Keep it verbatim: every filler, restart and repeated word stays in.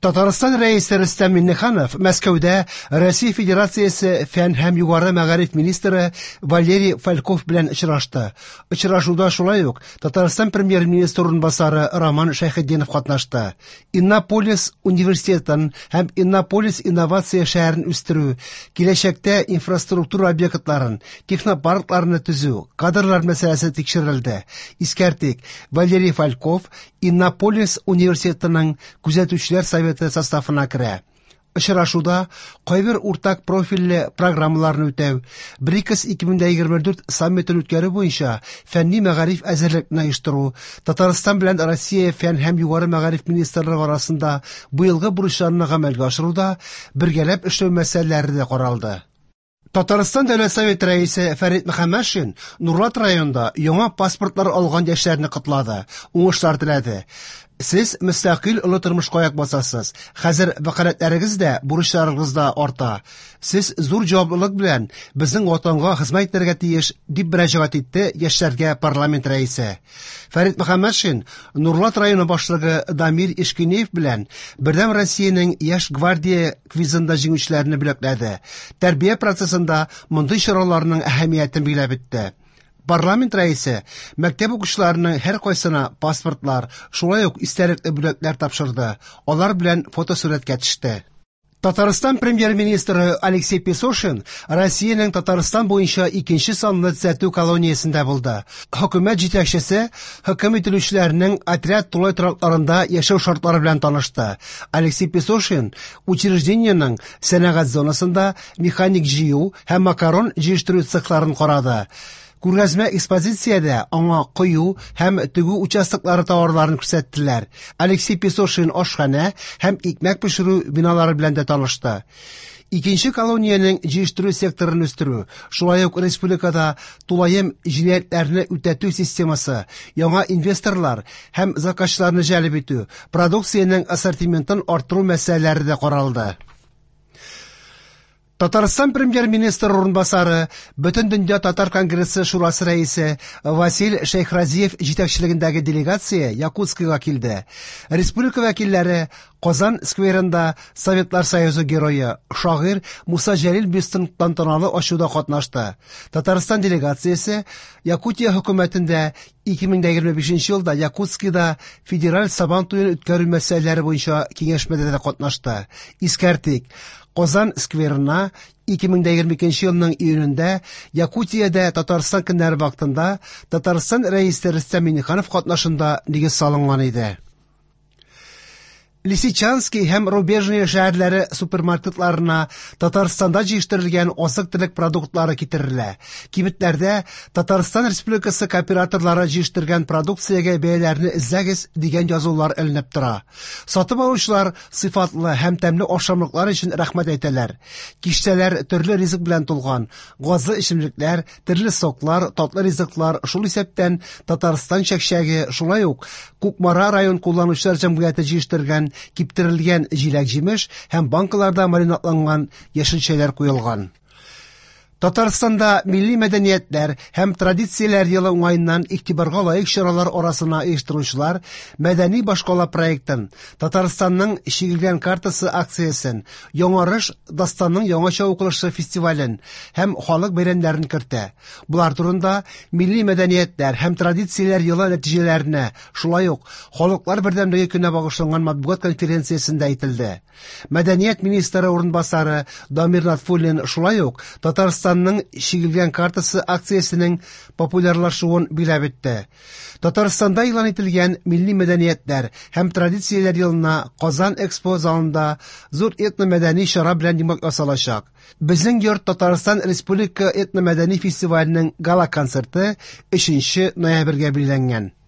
Татарстан Рәисе Рөстәм Миңнеханов Мәскәүдә Россия Федерациясе фән һәм югары мәгариф министры Валерий Фальков белән очрашты. Очрашуда шулай ук Татарстан премьер-министры урынбасары Роман Шәйхетдинов катнашты. Иннополис университетын һәм Иннополис инновация шәһәрен үстерү, киләчәктә инфраструктура объектларын, технопаркларны төзү, кадрлар мәсьәләсе тикшерелде. Искәртик, Валерий Фальков Иннополис университетының күзәтүчеләр советы составына керә. Очрашуда кайбер уртак профильле программаларны үтәү, БРИКС ике мең егерме дүрт саммитын үткәрү буенча фәнни мәгариф әзерлекне оештыру, Татарстан белән Россия фән һәм югары мәгариф министрлыгы арасында быелгы бурычларны гамәлгә ашыруда бергәләп эшләү мәсьәләләре дә каралды. Татарстан Дәүләт Советы рәисе Фәрит Мөхәммәтшин Нурлат районында яңа паспортлар алган яшьләрне котлады, уңышлар теләде. Сез мөстәкыйль олы тормышка аяк басасыз. Хәзер вәкаләтләрегез дә, бурычларыгыз да арта. Сез зур җаваплылык белән безнең ватанга хезмәт итәргә тиеш, дип мөрәҗәгать итте яшьләргә парламент рәисе. Фәрит Мөхәммәтшин Нурлат районы башлыгы Дамир Ишкинеев белән Бердәм Россиянең Яшь гвардия квизында җиңүчеләрне бүләкләде. Тәрбия процессында мондый чараларның әһәмиятен билгеләп үтте. Парламент рәисе мәктәп укучыларының һәр кайсына паспортлар, шулай ук истәлекле бүләкләр тапшырды. Алар белән фотосурәткә төште. Татарстан премьер-министры Алексей Песошин Россиянең Татарстан буенча икенче санлы төзәтү колониясендә булды. Хөкүмәт җитәкчесе хөкем ителүчеләрнең отряд тулай торакларында яшәү шартлары белән танышты. Алексей Песошин учреждениенең сәнәгать зонасында механик җыю һәм макарон җыештыру цехларын карады. Күргәзмә экспозициядә аңа кою һәм тегү участоклары товарларын күрсәттеләр. Алексей Песошин ашханә һәм икмәк пешерү биналары белән дә танышты. Икенче колониянең җыештыру секторын үстерү, шулай ук республикада тулаем җинаятьләрне үтәтү системасы, яңа инвесторлар һәм заказчыларны җәлеп итү, продукциянең ассортиментын арттыру мәсьәләләре дә каралды. Татарстан премьер-министры урынбасары, Бөтендөнья татар конгрессы шурасы рәисе Василь Шәйхразиев җитәкчелегендәге делегация Якутскига килде. Республика вәкилләре Казан скверында Советлар Союзы герое, шагыйрь Муса Җәлил бюстын тантаналы ачуда катнашты. Татарстан делегациясе Якутия хөкүмәтендә ике мең егерме бишенче елда Якутскида федераль Сабан туен үткәрү мәсьәләләре буенча киңәшмәдә дә катнашты. Искәртик, Казан скверына ике мең егерме икенче елның июнендә Якутиядә Татарстан көннәре вакытында Татарстан рәисе Рөстәм Миңнеханов катнашында нигез салынган иде. Лисичанский һәм Рубежное шәһәрләре супермаркетларына Татарстанда җитештерелгән азык-төлек продуктлары китерелә. Кибетләрдә Татарстан Республикасы кооператорлары җитештергән продукциягә бәяләрне эзләгез дигән язулар эленеп тора. Сатып алучылар сыйфатлы һәм тәмле ашамлыклар өчен рәхмәт әйтәләр. Киштәләр төрле ризык белән тулган. Газлы эчемлекләр, төрле соклар, татлы ризыклар, шул исәптән Татарстан чәкчәге, шулай ук Кукмара район кулланучылар җәмгыяте җитештергән киптерелгән җиләк-җимеш һәм банкаларда маринадланган яшелчәләр куелган. Татарстанда милли мәдәниятләр һәм традицияләр елы уңаеннан игътибарга лаек чаралар арасына оештыручылар Мәдәни башкала проектын, Татарстанның чигелгән картасы акциясен, Яңарыш дастанның яңача укылышы фестивален һәм халык бәйрәмнәрен кертә. Булар турында милли мәдәниятләр һәм традицияләр елы нәтиҗәләренә, шулай ук халыклар бердәмлеге көненә багышланган матбугат конференциясендә әйтелде. Мәдәният министры урынбасары Дамир Латфуллин шулай ук Татарстанның чигелгән картасы акциясенең популярлашуын билгеләп үтте. Татарстанда игълан ителгән милли мәдәниятләр һәм традицияләр елына Казан Экспо залында зур этномәдәни чара белән йомгак ясалачак. Безнең йорт Татарстан Республика этномәдәни фестиваленең гала-концерты өченче ноябрьгә билгеләнгән.